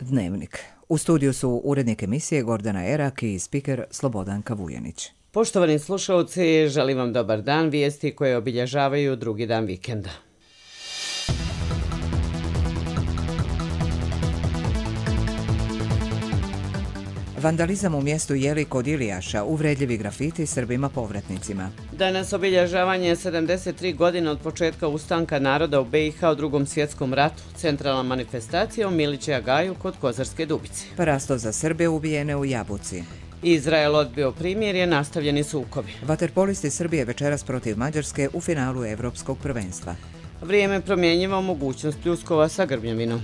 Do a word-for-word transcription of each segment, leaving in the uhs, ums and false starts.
Dnevnik. U studiju su urednik emisije Gordana Erak i spiker Slobodanka Vujanić. Poštovani slušalci, želim vam dobar dan, vijesti koje obilježavaju drugi dan vikenda. Vandalizam u mjestu Jeli kod Ilijaša, uvredljivi grafiti Srbima povratnicima. Danas obilježavanje sedamdeset tri godine od početka ustanka naroda u be i ha u Drugom svjetskom ratu. Centralna manifestacija u Milića Gaju kod Kozarske Dubice. Parasto za Srbe ubijene u Jabuci. Izrael odbio primirje, nastavljeni sukobi. Vaterpolisti Srbije večeras protiv Mađarske u finalu Evropskog prvenstva. Vrijeme promjenjiva mogućnost pljuskova sa grmljavinom.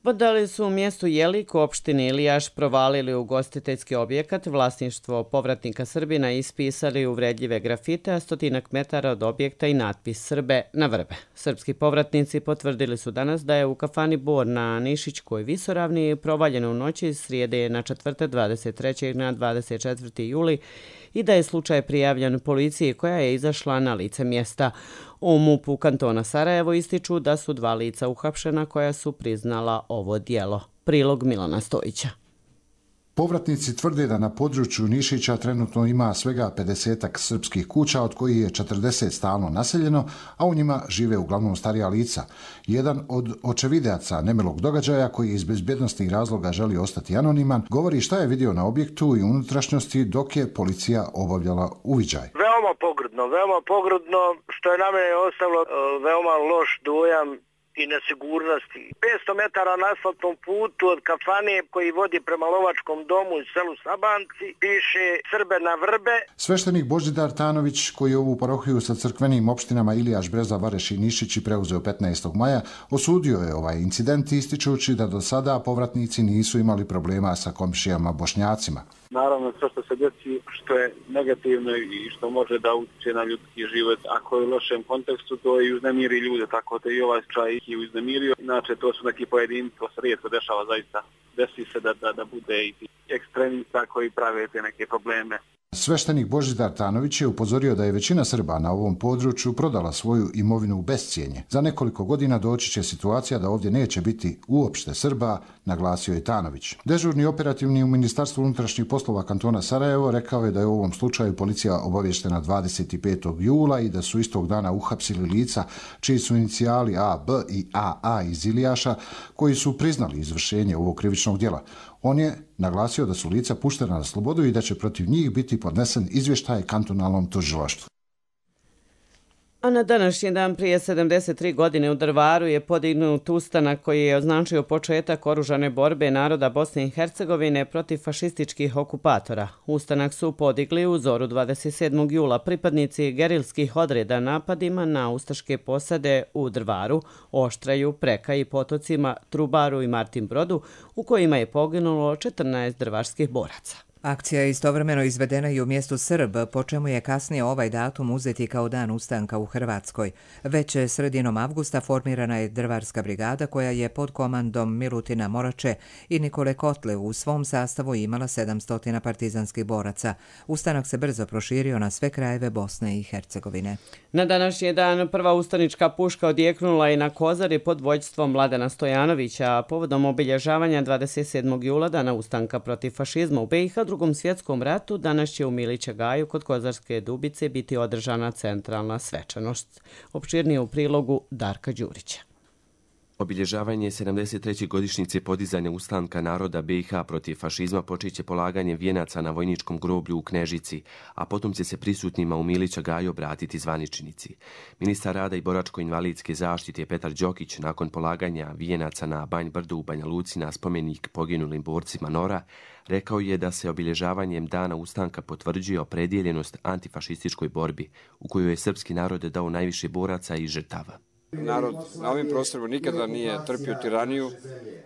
Vandali su u mjestu Jelik u opštini Ilijaš provalili ugostiteljski objekat, vlasništvo povratnika Srbina ispisali uvredljive grafite, a stotinak metara od objekta i natpis Srbe na vrbe. Srpski povratnici potvrdili su danas da je u kafani Bor na Nišićkoj visoravni provaljeno u noći iz srijede na četvrtak dvadeset trećeg na dvadeset četvrti juli i da je slučaj prijavljen policiji koja je izašla na lice mjesta. U mupu kantona Sarajevo ističu da su dva lica uhapšena koja su priznala ovo djelo. Prilog Milana Stojića. Povratnici tvrde da na području Nišića trenutno ima svega pedesetak srpskih kuća, od kojih je četrdeset stalno naseljeno, a u njima žive uglavnom starija lica. Jedan od očevidaca nemilog događaja, koji iz bezbjednostnih razloga želi ostati anoniman, govori šta je vidio na objektu i unutrašnjosti dok je policija obavljala uviđaj. Veoma pogrdno, veoma pogrdno, što je na mene ostavilo veoma loš dojam i nesigurnosti. petsto metara na asfaltnom putu od kafane koji vodi prema Lovačkom domu u selu Sabanci piše Srbe na vrbe. Sveštenik Božidar Tanović, koji je ovu parohiju sa crkvenim opštinama Ilijaš, Breza, Vareš i Nišić preuzeo petnaestog maja, osudio je ovaj incident ističući da do sada povratnici nisu imali problema sa komšijama Bošnjacima. Naravno, sve što se desi, što je negativno i što može da utječe na ljudski život, ako je u lošem kontekstu, to i uznemiri ljude, tako da i ovaj slučaj ih je uznemirio. Inače, to su neki pojedinci, to se rijetko dešava zaista. Desi se da, da, da bude i ekstremista koji prave te neke probleme. Sveštenik Božidar Tanović je upozorio da je većina Srba na ovom području prodala svoju imovinu u bescijenje. Za nekoliko godina doći će situacija da ovdje neće biti uopšte Srba, naglasio je Tanović. Dežurni operativni u Ministarstvu unutrašnjih poslova kantona Sarajevo rekao je da je u ovom slučaju policija obavještena dvadeset petog jula i da su istog dana uhapsili lica čiji su inicijali A B i A A iz Ilijaša, koji su priznali izvršenje ovog krivičnog djela. On je naglasio da su lica puštena na slobodu i da će protiv njih biti podnesen izvještaj kantonalnom tužilaštvu. A na današnji dan prije sedamdeset tri godine u Drvaru je podignut ustanak koji je označio početak oružane borbe naroda Bosne i Hercegovine protiv fašističkih okupatora. Ustanak su podigli u zoru dvadeset sedmog jula pripadnici gerilskih odreda napadima na ustaške posade u Drvaru, Oštraju, Preka i Potocima, Trubaru i Martin Brodu, u kojima je poginulo četrnaest drvarskih boraca. Akcija je istovremeno izvedena i u mjestu Srb, po čemu je kasnije ovaj datum uzeti kao dan ustanka u Hrvatskoj. Već sredinom avgusta formirana je Drvarska brigada koja je pod komandom Milutina Morače i Nikole Kotle u svom sastavu imala sedamsto partizanskih boraca. Ustanak se brzo proširio na sve krajeve Bosne i Hercegovine. Na današnji dan prva ustanička puška odjeknula i na Kozari pod vođstvom Mladena Stojanovića, a povodom obilježavanja dvadeset sedmog jula dana ustanka protiv fašizma u be i ha u Drugom svjetskom ratu, danas će u Milića Gaju kod Kozarske Dubice biti održana centralna svečanost. Opširnije u prilogu Darka Đurića. Obilježavanje sedamdeset treće godišnjice podizanja ustanka naroda be i ha protiv fašizma počeće polaganjem vijenaca na vojničkom groblju u Knežici, a potom će se prisutnima u Milića Gaju obratiti zvaničnici. Ministar rada i boračko-invalidske zaštite Petar Đokić nakon polaganja vijenaca na Banj Brdu u Banja Luci na spomenik poginulim borcima Nora rekao je da se obilježavanjem dana ustanka potvrđuje opredjeljenost antifašističkoj borbi u kojoj je srpski narod dao najviše boraca i žrtava. Narod na ovim prostorima nikada nije trpio tiraniju.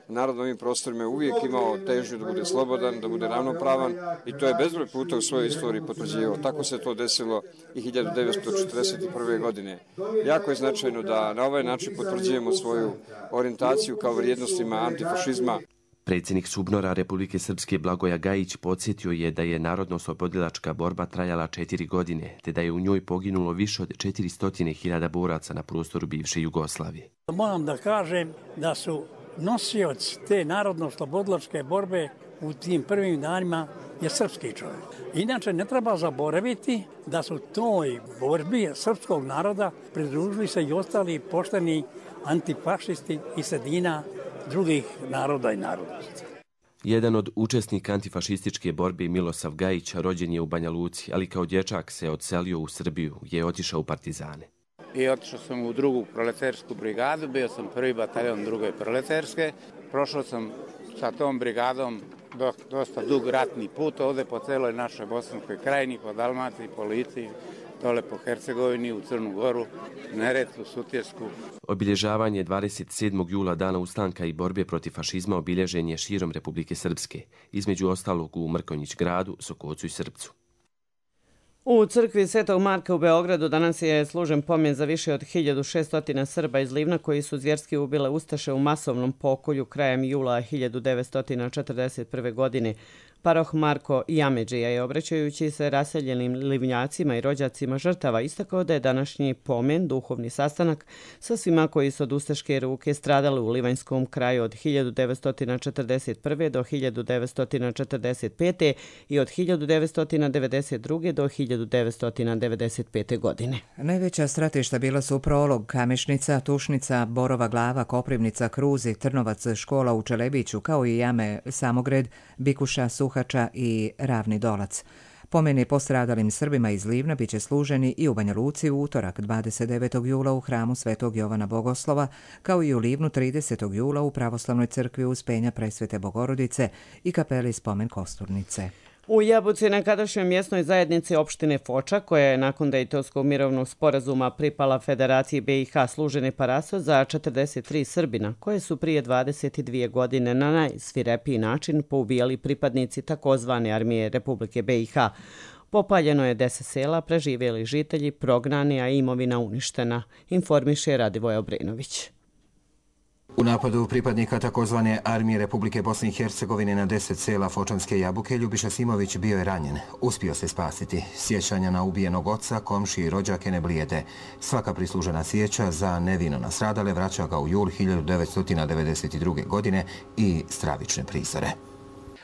Narod na ovim prostorima je uvijek imao težnju da bude slobodan, da bude ravnopravan i to je bezbroj puta u svojoj istoriji potvrđivao. Tako se to desilo i hiljadu devetsto četrdeset prve. godine. Jako je značajno da na ovaj način potvrđujemo svoju orijentaciju kao vrijednostima antifašizma. Predsjednik SUBNOR-a Republike Srpske Blagoja Gajić podsjetio je da je narodno-oslobodilačka borba trajala četiri godine, te da je u njoj poginulo više od četiristo hiljada boraca na prostoru bivše Jugoslavije. Moram da kažem da su nosioci te narodno-oslobodilačke borbe u tim prvim danima je srpski čovjek. Inače, ne treba zaboraviti da su toj borbi srpskog naroda pridružili se i ostali pošteni antifašisti iz sredina drugih naroda i narodnosti. Jedan od učesnika antifašističke borbe, Milosav Gajić, rođen je u Banja Luci, ali kao dječak se odselio u Srbiju, gdje je otišao u partizane. I otišao sam u drugu proletersku brigadu, bio sam prvi bataljon druge proleterske. Prošao sam sa tom brigadom dosta dug ratni put ovdje po celoj našoj Bosanskoj krajini, po Dalmaciji, po Lici, dole po Hercegovini, u Crnu Goru, Neretvu, Sutjesku. Obilježavanje dvadeset sedmog jula dana ustanka i borbe protiv fašizma obilježen je širom Republike Srpske, između ostalog u Mrkonjić gradu, Sokocu i Srpcu. U crkvi Svetog Marka u Beogradu danas je služen pomen za više od hiljadu šesto Srba iz Livna koji su zvjerski ubile ustaše u masovnom pokolju krajem jula hiljadu devetsto četrdeset prve. godine. Paroh Marko Jameđija je, obraćajući se raseljenim livnjacima i rođacima žrtava, istakao da je današnji pomen duhovni sastanak sa svima koji su od ustaške ruke stradali u livanjskom kraju od hiljadu devetsto četrdeset prve. do hiljadu devetsto četrdeset pete. i od hiljadu devetsto devedeset druge. do hiljadu devetsto devedeset pete. godine. Najveća stratišta bila su Prolog, Kamešnica, Tušnica, Borova Glava, Koprivnica, Kruzi, Trnovac, škola u Čelebiću, kao i jame Samogred, Bikuša, Suhača i Ravni Dolac. Pomeni postradalim Srbima iz Livna biće služeni i u Banja Luci u utorak dvadeset devetog jula u hramu Svetog Jovana Bogoslova, kao i u Livnu tridesetog jula u Pravoslavnoj crkvi Uspenja Presvete Bogorodice i kapeli Spomen Kosturnice. U Jabuci, nekadašnjoj mjesnoj zajednici opštine Foča, koja je nakon Dejtonskog mirovnog sporazuma pripala Federaciji B i H, služen je paraso za četrdeset tri Srbina, koje su prije dvadeset dvije godine na najsvirepiji način poubijali pripadnici takozvane armije Republike B i H. Popaljeno je deset sela, preživjeli žitelji, prognani, a imovina uništena, informiše Radivoj Obrenović. U napadu pripadnika takozvane armije Republike Bosne i Hercegovine na deset sela Fočanske Jabuke Ljubiša Simović bio je ranjen. Uspio se spasiti. Sjećanja na ubijenog oca, komšije i rođake ne blijede. Svaka prislužena sjeća za nevino nastradale vraća ga u jul hiljadu devetsto devedeset druge. godine i stravične prizore.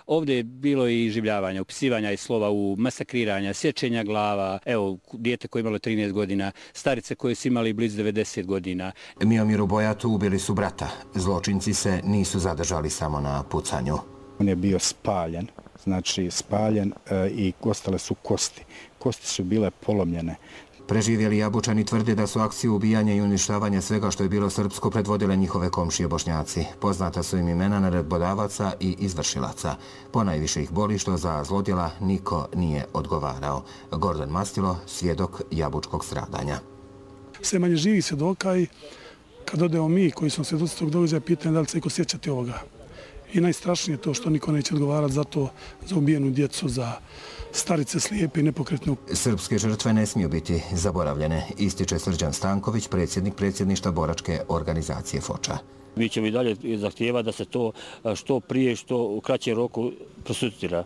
Ovdje je bilo i življavanja, upisivanja i slova u masakriranja, sječenja glava, evo, dijete koje je imalo trinaest godina, starice koje su imali blizu devedeset godina. Miomiru Bojatu ubili su brata. Zločinci se nisu zadržali samo na pucanju. On je bio spaljen, znači spaljen e, i ostale su kosti. Kosti su bile polomljene. Preživjeli Jabučani tvrde da su akciju ubijanja i uništavanja svega što je bilo srpsko predvodile njihove komšije Bošnjaci. Poznata su im imena naredbodavaca i izvršilaca. Ponajviše ih boli što za zlodjela niko nije odgovarao. Gordon Mastilo, svjedok jabučkog stradanja. Sve manje živih svjedoka i kad odemo mi koji smo svjedoci tog događaja, pitanje da li se iko sjećati ovoga. I najstrašnije je to što niko neće odgovarati za to, za ubijenu djecu, za starice slijepe i nepokretne. Srpske žrtve ne smiju biti zaboravljene, ističe Srđan Stanković, predsjednik predsjedništva boračke organizacije Foča. Mi ćemo i dalje zahtijevati da se to što prije, što u kraćem roku prosucira.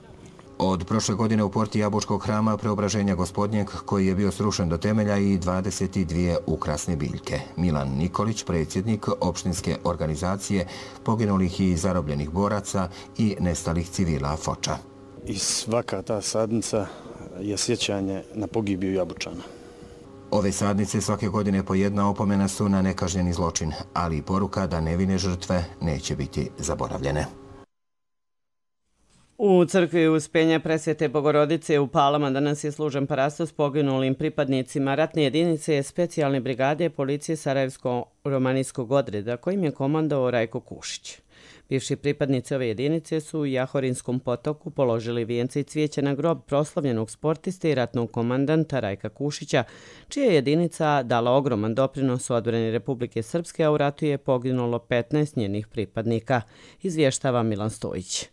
Od prošle godine u porti Jabučkog hrama Preobraženja Gospodnjeg, koji je bio srušen do temelja, i dvadeset dvije ukrasne biljke. Milan Nikolić, predsjednik opštinske organizacije poginulih i zarobljenih boraca i nestalih civila Foča. I svaka ta sadnica je sjećanje na pogibiju Jabučana. Ove sadnice svake godine po jedna opomena su na nekažnjeni zločin, ali i poruka da nevine žrtve neće biti zaboravljene. U crkvi Uspenja Presvete Bogorodice u Palama danas je služen parasto s poginulim pripadnicima ratne jedinice specijalne brigade policije Sarajevsko-romanijskog odreda, kojim je komandovao Rajko Kušić. Bivši pripadnici ove jedinice su u Jahorinskom potoku položili vijence i cvijeće na grob proslavljenog sportiste i ratnog komandanta Rajka Kušića, čija je jedinica dala ogroman doprinos u odbrani Republike Srpske, a u ratu je poginulo petnaest njenih pripadnika, izvještava Milan Stojić.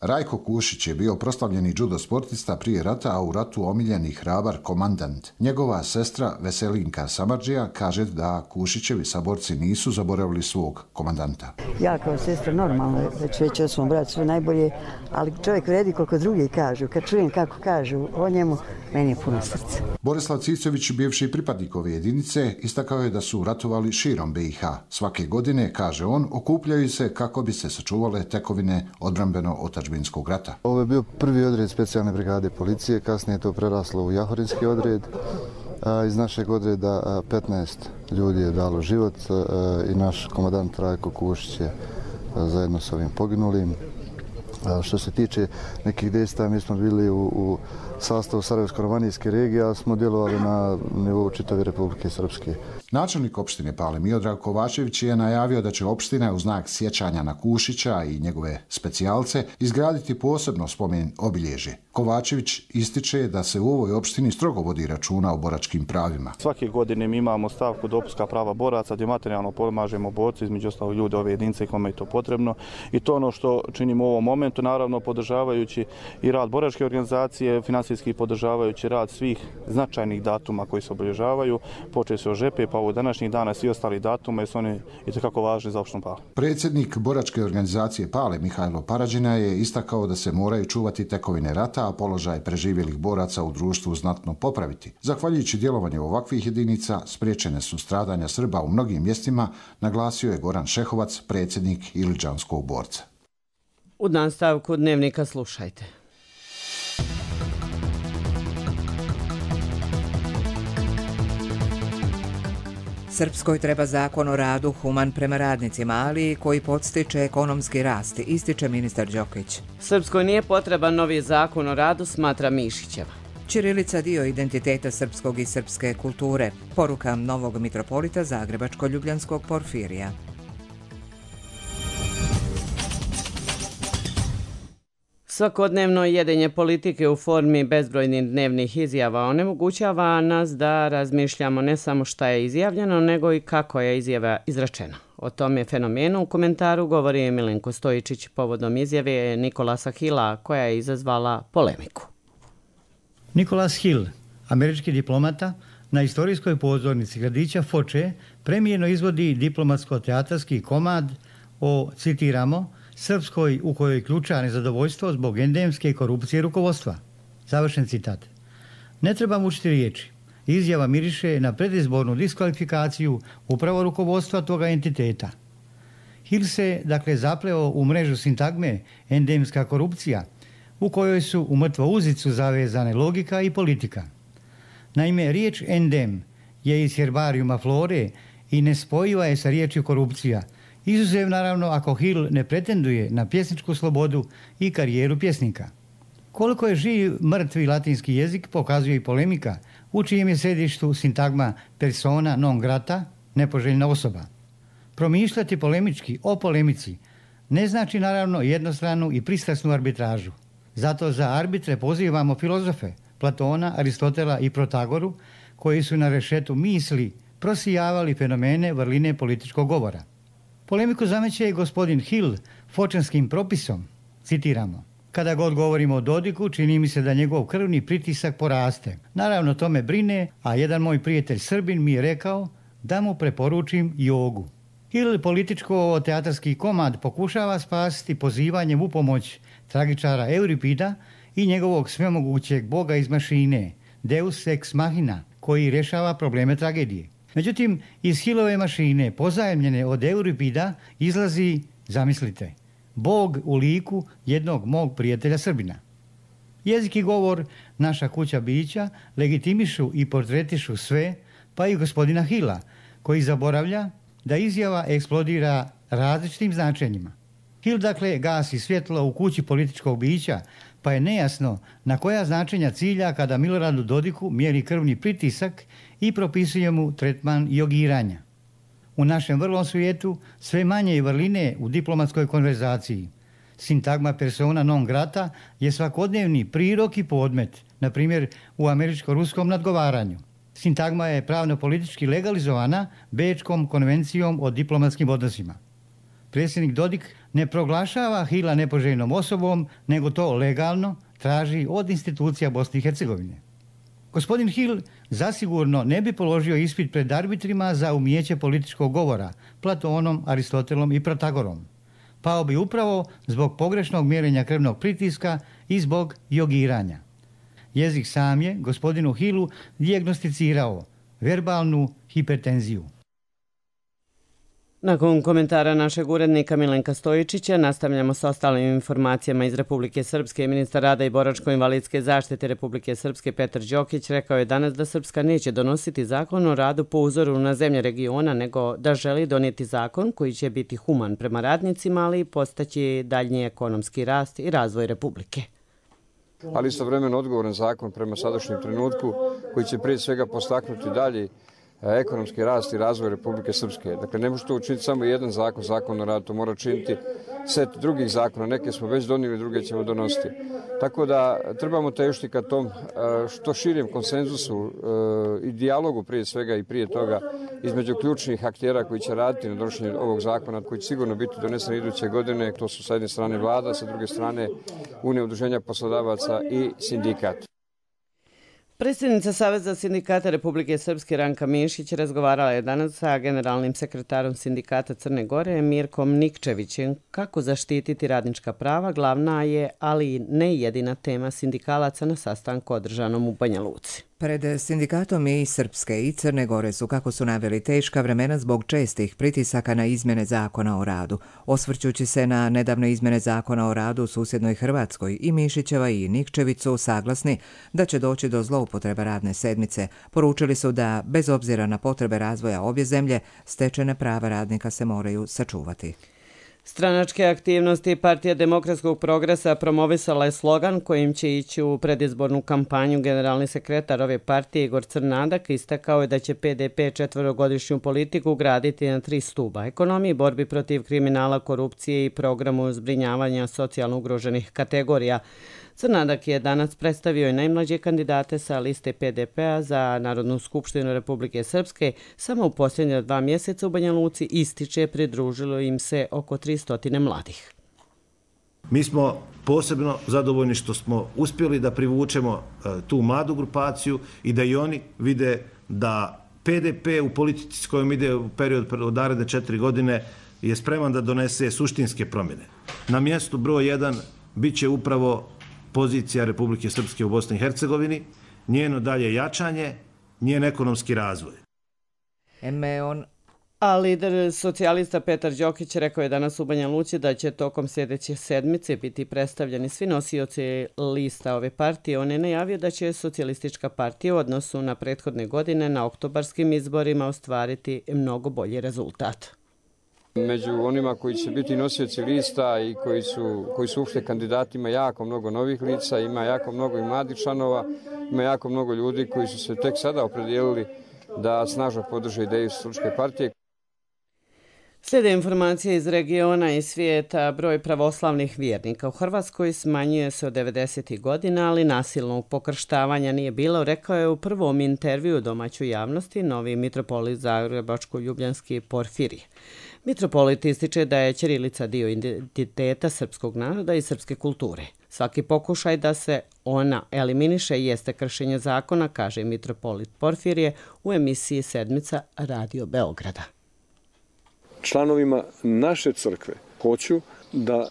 Rajko Kušić je bio proslavljeni judo sportista prije rata, a u ratu omiljeni hrabar komandant. Njegova sestra Veselinka Samardžija kaže da Kušićevi saborci nisu zaboravili svog komandanta. Ja kao sestra normalno, već već o svom bratu sve najbolje, ali čovjek vredi koliko drugi kažu. Kad čujem kako kažu o njemu, meni je puno srce. Borislav Cicović, bivši pripadnik ove jedinice, istakao je da su ratovali širom B i H. Svake godine, kaže on, okupljaju se kako bi se sačuvale tekovine odbrambeno-otadžbinskog rata. Ovo je bio prvi odred specijalne brigade policije, kasnije je to preraslo u Jahorinski odred. Iz našeg odreda petnaest ljudi je dalo život i naš komandant Rajko Kušić je zajedno s ovim poginulim. Što se tiče nekih dejstva, mi smo bili u, u sastavu Sarajevsko-romanijske regije, a smo djelovali na nivou čitave Republike Srpske. Načelnik opštine Pale Miodrag Kovačević je najavio da će opština u znak sjećanja na Kušića i njegove specijalce izgraditi posebno spomen obilježje. Kovačević ističe da se u ovoj opštini strogo vodi računa o boračkim pravima. Svake godine mi imamo stavku dopunska prava boraca gdje materijalno pomažemo borci, između ostalog ljude ove jedinice kome je to potrebno. I to ono što činimo u ovom momentu, naravno podržavajući i rad boračke organizacije, financijski podržavajući rad svih značajnih datuma koji se obilježavaju, počeo se od žepe pa ovo današnjih dana svi ostali datuma jer su oni itekako važni za opštinu Pale. Predsjednik boračke organizacije Pale Mihajlo Parađina je istakao da se moraju čuvati tekovine rata, a položaj preživjelih boraca u društvu znatno popraviti. Zahvaljujući djelovanju ovakvih jedinica, spriječene su stradanja Srba u mnogim mjestima, naglasio je Goran Šehovac, predsjednik Iličanskog borca. U nastavku dnevnika slušajte. Srpskoj treba zakon o radu human prema radnicima, ali koji podstiče ekonomski rast, ističe ministar Đokić. Srpskoj nije potreban novi zakon o radu, smatra Mišićeva. Ćirilica dio identiteta srpskog i srpske kulture. Poruka novog mitropolita Zagrebačko-Ljubljanskog Porfirija. Svakodnevno jedenje politike u formi bezbrojnih dnevnih izjava onemogućava nas da razmišljamo ne samo šta je izjavljeno, nego i kako je izjava izrečena. O tome fenomenu u komentaru govori Milenko Stojičić povodom izjave Nikolasa Hilla koja je izazvala polemiku. Nikolas Hill, američki diplomata, na istorijskoj pozornici gradića Foče premijerno izvodi diplomatsko-teatarski komad o, citiramo, Srpskoj u kojoj ključa nezadovoljstvo zbog endemske korupcije rukovodstva. Završen citat. Ne treba mučiti riječi. Izjava miriše na predizbornu diskvalifikaciju upravo rukovodstva toga entiteta. Hill se, dakle, zapleo u mrežu sintagme endemska korupcija, u kojoj su u mrtvu uzicu zavezane logika i politika. Naime, riječ endem je iz herbarijuma flore i nespojiva je sa riječju korupcija, izuzev naravno ako Hill ne pretenduje na pjesničku slobodu i karijeru pjesnika. Koliko je živ mrtvi latinski jezik pokazuje i polemika u čijem je središtu sintagma persona non grata, nepoželjna osoba. Promišljati polemički o polemici ne znači naravno jednostranu i pristrasnu arbitražu. Zato za arbitre pozivamo filozofe Platona, Aristotela i Protagoru koji su na rešetu misli prosijavali fenomene vrline političkog govora. Polemiku zameće i gospodin Hill fočanskim propisom, citiramo. Kada god govorimo o Dodiku, čini mi se da njegov krvni pritisak poraste. Naravno, to me brine, a jedan moj prijatelj Srbin mi je rekao da mu preporučim jogu. Hill političko-teatarski komad pokušava spasiti pozivanjem u pomoć tragičara Euripida i njegovog svemogućeg boga iz mašine, Deus ex machina, koji rješava probleme tragedije. Međutim, iz Hillove mašine, pozajemljene od Euripida, izlazi, zamislite, Bog u liku jednog mog prijatelja Srbina. Jezik i govor, naša kuća bića, legitimišu i portretišu sve, pa i gospodina Hilla, koji zaboravlja da izjava eksplodira različitim značenjima. Hill, dakle, gasi svjetlo u kući političkog bića, pa je nejasno na koja značenja cilja kada Miloradu Dodiku mjeri krvni pritisak i propisuje mu tretman jogiranja. U našem vrlom svijetu sve manje je vrline u diplomatskoj konverzaciji. Sintagma persona non grata je svakodnevni prirok i podmet, na primjer u američko-ruskom nadgovaranju. Sintagma je pravno-politički legalizovana Bečkom konvencijom o diplomatskim odnosima. predsjednik Dodik ne proglašava Hila nepoželjnom osobom, nego to legalno traži od institucija Bosne i Hercegovine. Gospodin Hil zasigurno ne bi položio ispit pred arbitrima za umijeće političkog govora, Platonom, Aristotelom i Protagorom. Pao bi upravo zbog pogrešnog mjerenja krvnog pritiska i zbog jogiranja. Jezik sam je gospodinu Hilu dijagnosticirao verbalnu hipertenziju. Nakon komentara našeg urednika Milenka Stojičića nastavljamo s ostalim informacijama iz Republike Srpske. Ministar rada i boračko-invalidske zaštite Republike Srpske Petar Đokić rekao je danas da Srpska neće donositi zakon o radu po uzoru na zemlje regiona, nego da želi donijeti zakon koji će biti human prema radnicima, ali i postaći daljnji ekonomski rast i razvoj Republike. Ali istovremeno odgovoran zakon prema sadašnjem trenutku koji će prije svega postaknuti dalje ekonomski rast i razvoj Republike Srpske. Dakle, ne može to učiniti samo jedan zakon, zakon o radu, to mora činiti set drugih zakona. Neke smo već donijeli, druge ćemo donositi. Tako da trebamo težiti ka tom što širijem konsenzusu i dijalogu prije svega i prije toga između ključnih aktera koji će raditi na donošenju ovog zakona, koji će sigurno biti donesen iduće godine. To su sa jedne strane vlada, sa druge strane Unija udruženja poslodavaca i sindikat. Predsjednica Saveza sindikata Republike Srpske Ranka Mišić razgovarala je danas sa generalnim sekretarom sindikata Crne Gore Mirkom Nikčevićem. Kako zaštititi radnička prava glavna je, ali ne jedina tema sindikalaca na sastanku održanom u Banja Luci. Pred sindikatom i Srpske i Crne Gore su, kako su naveli, teška vremena zbog čestih pritisaka na izmjene zakona o radu. Osvrćući se na nedavne izmjene zakona o radu u susjednoj Hrvatskoj, i Mišićeva i Nikčević su saglasni da će doći do zloupotreba radne sedmice. Poručili su da, bez obzira na potrebe razvoja obje zemlje, stečene prava radnika se moraju sačuvati. Stranačke aktivnosti Partija demokratskog progresa promovisala je slogan kojim će ići u predizbornu kampanju. Generalni sekretar ove partije Igor Crnadak istakao je da će P D P četverogodišnju politiku graditi na tri stuba: ekonomiji, borbi protiv kriminala, korupcije i programu zbrinjavanja socijalno ugroženih kategorija. Crnadak je danas predstavio i najmlađe kandidate sa liste P D P-a za Narodnu skupštinu Republike Srpske. Samo u posljednja dva mjeseca u Banja Luci, ističe, pridružilo im se oko tristo mladih. Mi smo posebno zadovoljni što smo uspjeli da privučemo tu mladu grupaciju i da i oni vide da P D P u politici s kojom ide u period od naredne četiri godine je spreman da donese suštinske promjene. Na mjestu broj jedan bit će upravo pozicija Republike Srpske u Bosni i Hercegovini, njeno dalje jačanje, njen ekonomski razvoj. Eme on... A lider socijalista Petar Đokić rekao je danas u Banja Luci da će tokom sljedeće sedmice biti predstavljeni svi nosioci lista ove partije. On je najavio da će socijalistička partija u odnosu na prethodne godine na oktobarskim izborima ostvariti mnogo bolji rezultat. Među onima koji će biti nosioci lista i koji su, koji su uopšte kandidati, ima jako mnogo novih lica, ima jako mnogo i mladih članova, ima jako mnogo ljudi koji su se tek sada opredijelili da snažno podrže ideju Socijalističke partije. Slijede informacije iz regiona i svijeta. Broj pravoslavnih vjernika u Hrvatskoj smanjuje se od devedesetih godina, ali nasilnog pokrštavanja nije bilo, rekao je u prvom intervju domaćoj javnosti novi mitropolit Zagrebačko-ljubljanski Porfirije. Mitropolit ističe da je ćirilica dio identiteta srpskog naroda i srpske kulture. Svaki pokušaj da se ona eliminiše jeste kršenje zakona, kaže mitropolit Porfirije u emisiji Sedmica Radio Beograda. Članovima naše crkve hoću da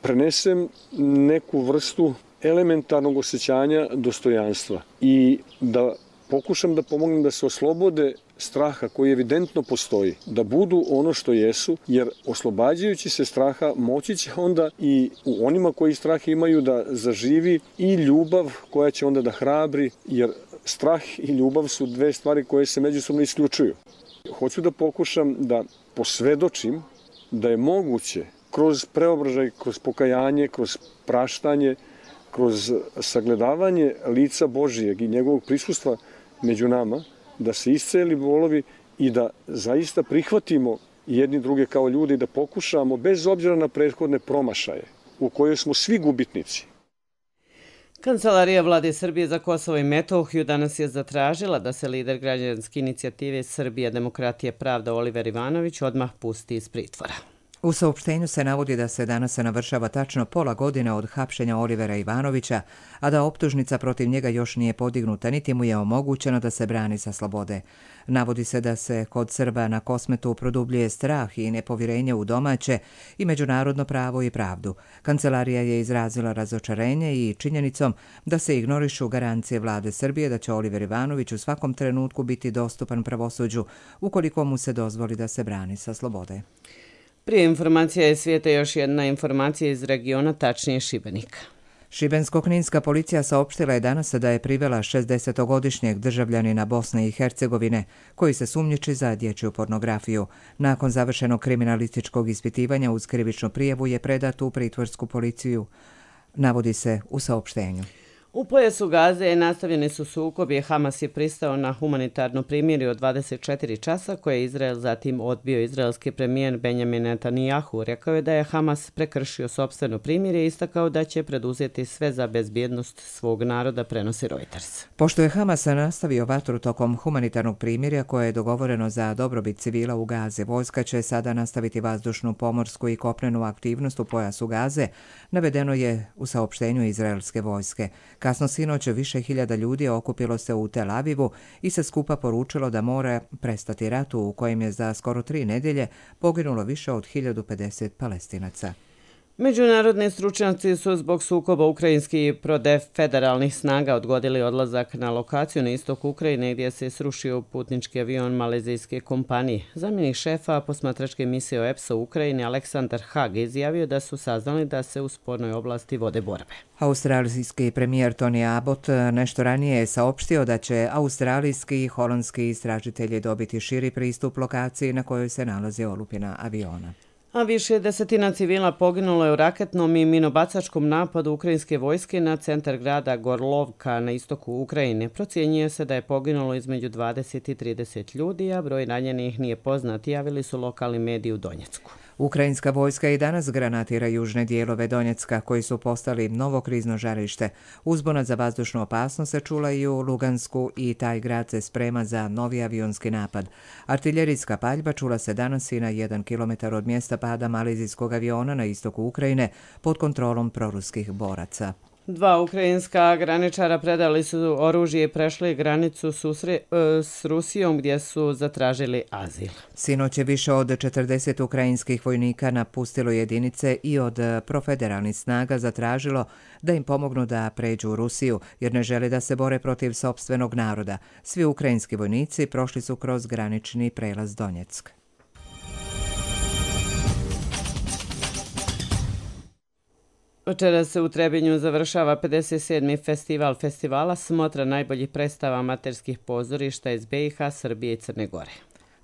prenesem neku vrstu elementarnog osjećanja dostojanstva i da pokušam da pomognem da se oslobode straha koji evidentno postoji, da budu ono što jesu, jer oslobađajući se straha moći će onda i u onima koji strah imaju da zaživi i ljubav koja će onda da hrabri, jer strah i ljubav su dve stvari koje se međusobno isključuju. Hoću da pokušam da posvedočim da je moguće kroz preobražaj, kroz pokajanje, kroz praštanje, kroz sagledavanje lica Božijeg i njegovog prisustva među nama, da se isceli bolovi i da zaista prihvatimo jedni druge kao ljudi i da pokušamo, bez obzira na prethodne promašaje, u kojoj smo svi gubitnici. Kancelarija Vlade Srbije za Kosovo i Metohiju danas je zatražila da se lider građanske inicijative Srbija, demokratija, pravda Oliver Ivanović odmah pusti iz pritvora. U saopštenju se navodi da se danas navršava tačno pola godine od hapšenja Olivera Ivanovića, a da optužnica protiv njega još nije podignuta, niti mu je omogućeno da se brani sa slobode. Navodi se da se kod Srba na Kosmetu produbljuje strah i nepovjerenje u domaće i međunarodno pravo i pravdu. Kancelarija je izrazila razočarenje i činjenicom da se ignorišu garancije vlade Srbije da će Oliver Ivanović u svakom trenutku biti dostupan pravosuđu ukoliko mu se dozvoli da se brani sa slobode. Prije informacija je svijeta još jedna informacija iz regiona, tačnije Šibenika. Šibensko-kninska policija saopštila je danas da je privela šezdesetogodišnjeg državljanina Bosne i Hercegovine koji se sumnjiči za dječju pornografiju. Nakon završenog kriminalističkog ispitivanja uz krivičnu prijavu je predat u pritvorsku policiju, navodi se u saopštenju. U pojasu Gaze nastavljeni su sukobi. Hamas je pristao na humanitarno primirje od dvadeset četiri časa koje je Izrael zatim odbio. Izraelski premijer Benjamin Netanyahu rekao je da je Hamas prekršio sopstveno primirje i istakao da će preduzeti sve za bezbjednost svog naroda, prenosi Reuters. Pošto je Hamas nastavio vatru tokom humanitarnog primirja koje je dogovoreno za dobrobit civila u Gazi, vojska će sada nastaviti vazdušnu, pomorsku i kopnenu aktivnost u pojasu Gaze, navedeno je u saopštenju izraelske vojske. Kasno sinoć više hiljada ljudi okupilo se u Tel Avivu i se skupa poručilo da mora prestati ratu u kojem je za skoro tri nedjelje poginulo više od hiljadu pedeset Palestinaca. Međunarodni stručnjaci su zbog sukoba ukrajinskih federalnih snaga odgodili odlazak na lokaciju na istoku Ukrajine gdje se srušio putnički avion malezijske kompanije. Zamjenik šefa posmatračke misije O E P S-a u Ukrajini Aleksandar Hag izjavio da su saznali da se u spornoj oblasti vode borbe. Australijski premijer Tony Abbott nešto ranije je saopštio da će australijski i holandski istražitelji dobiti širi pristup lokaciji na kojoj se nalazi olupina aviona. A više desetina civila poginulo je u raketnom i minobacačkom napadu ukrajinske vojske na centar grada Gorlovka na istoku Ukrajine. Procjenjuje se da je poginulo između dvadeset i trideset ljudi, a broj ranjenih nije poznat, javili su lokalni mediji u Donjecku. Ukrajinska vojska i danas granatira južne dijelove Donjecka, koji su postali novo krizno žarište. Uzbuna za vazdušnu opasnost se čula i u Lugansku i taj grad se sprema za novi avionski napad. Artiljerijska paljba čula se danas i na jedan kilometar od mjesta pada malezijskog aviona na istoku Ukrajine pod kontrolom proruskih boraca. Dva ukrajinska graničara predali su oružje i prešli granicu susre, s Rusijom gdje su zatražili azil. Sinoć je više od četrdeset ukrajinskih vojnika napustilo jedinice i od profederalnih snaga zatražilo da im pomognu da pređu u Rusiju jer ne žele da se bore protiv sopstvenog naroda. Svi ukrajinski vojnici prošli su kroz granični prelaz Donjeck. Večeras se u Trebinju završava pedeset sedmi festival festivala smotra najboljih predstava amaterskih pozorišta iz B i H, Srbije i Crne Gore.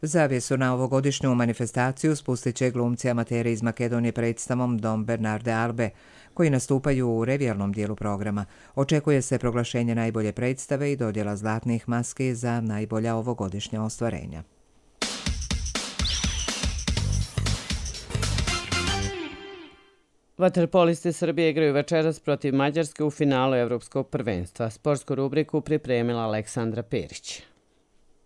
Zavjesu na ovogodišnju manifestaciju spustit će glumci amateri iz Makedonije predstavom Dom Bernarde Albe, koji nastupaju u revijalnom dijelu programa. Očekuje se proglašenje najbolje predstave i dodjela zlatnih maski za najbolja ovogodišnja ostvarenja. Vaterpolisti Srbije igraju večeras protiv Mađarske u finalu Evropskog prvenstva. Sportsku rubriku pripremila Aleksandra Perić.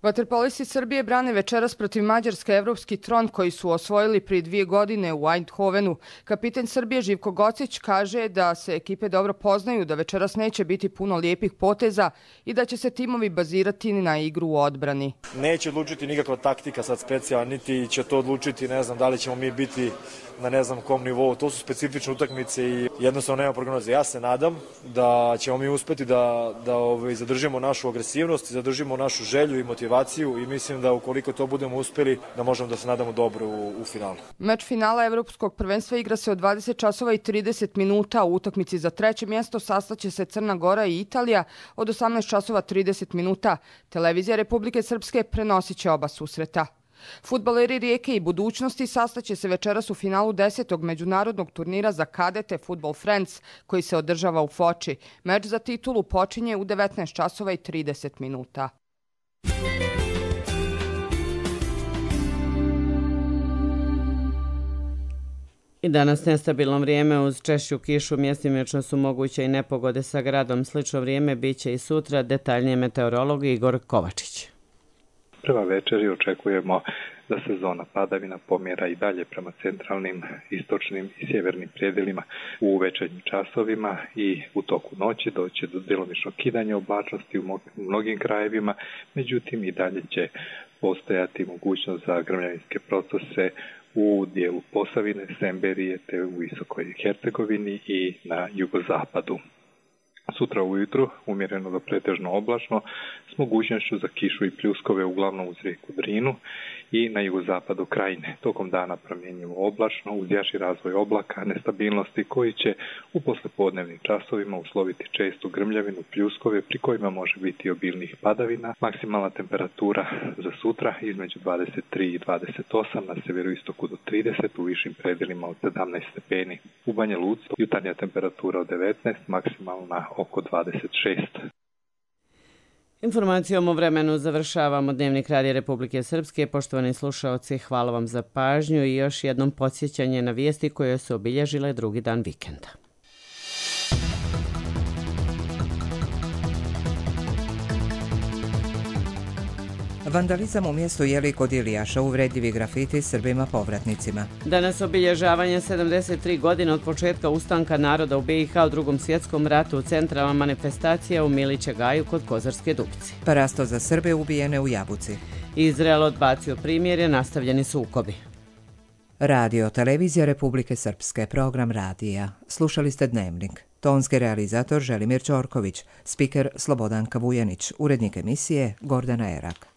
Vaterpolisti Srbije brane večeras protiv Mađarske evropski tron koji su osvojili prije dvije godine u Eindhovenu. Kapiten Srbije Živko Gocić kaže da se ekipe dobro poznaju, da večeras neće biti puno lijepih poteza i da će se timovi bazirati na igru u odbrani. Neće odlučiti nikakva taktika sad specijalna, niti će to odlučiti, ne znam da li ćemo mi biti na ne znam kom nivou. To su specifične utakmice i jednostavno nema prognoze. Ja se nadam da ćemo mi uspeti da, da ovaj, zadržimo našu agresivnost, zadržimo našu želju i motivaciju i mislim da ukoliko to budemo uspjeli da možemo da se nadamo dobro u, u finalu. Meč finala Evropskog prvenstva igra se od dvadeset časova i trideset minuta. U utakmici za treće mjesto sastaće se Crna Gora i Italija od osamnaest časova trideset minuta. Televizija Republike Srpske prenosit će oba susreta. Fudbaleri Rijeke i Budućnosti sastaće se večeras u finalu desetog međunarodnog turnira za kadete Football Friends koji se održava u Foči. Meč za titulu počinje u devetnaest časova i trideset minuta. I danas nestabilno vrijeme uz češću kišu, mjestimično su moguće i nepogode sa gradom. Slično vrijeme biće i sutra, detaljnije meteorolog Igor Kovačić. Prema večeri očekujemo da se zona padavina pomjera i dalje prema centralnim, istočnim i sjevernim predjelima u večernjim časovima i u toku noći doći do djelomičnog kidanja oblačnosti u mnogim krajevima, međutim i dalje će postojati mogućnost za grmljavinske procese u dijelu Posavine, Semberije te u Visokoj Hercegovini i na jugozapadu. Sutra ujutru umjereno do pretežno oblačno s mogućnošću za kišu i pljuskove uglavnom uz rijeku Drinu i na jugozapadu Krajine. Tokom dana promjenjivo oblačno uz jači razvoj oblaka, nestabilnosti koji će u poslijepodnevnim časovima usloviti čestu grmljavinu, pljuskove pri kojima može biti obilnih padavina. Maksimalna temperatura za sutra između dvadeset tri i dvadeset osam, na sjeveroistoku do trideset, u višim predjelima od sedamnaest stepeni. U Banja Luci jutarnja temperatura od devetnaest, maksimalna oko dvadeset šest. Informacijom o vremenu završavamo Dnevnik Radija Republike Srpske. Poštovani slušaoci, hvala vam za pažnju i još jednom podsjećanje na vijesti koje su obilježile drugi dan vikenda. Vandalizam u mjestu Jeli kod Ilijaša, uvredljivi grafiti Srbima povratnicima. Danas obilježavanje sedamdeset tri godine od početka ustanka naroda u B i H u Drugom svjetskom ratu, centralna manifestacija u Milića Gaju kod Kozarske Dubice. Parasto za Srbe ubijene u Jabuci. Izrael odbacio primjerje, nastavljeni sukobi. Radio, televizija Republike Srpske, program radija. Slušali ste Dnevnik. Tonski realizator Želimir Ćorković, spiker Slobodanka Vujanić, urednik emisije Gordana Erak.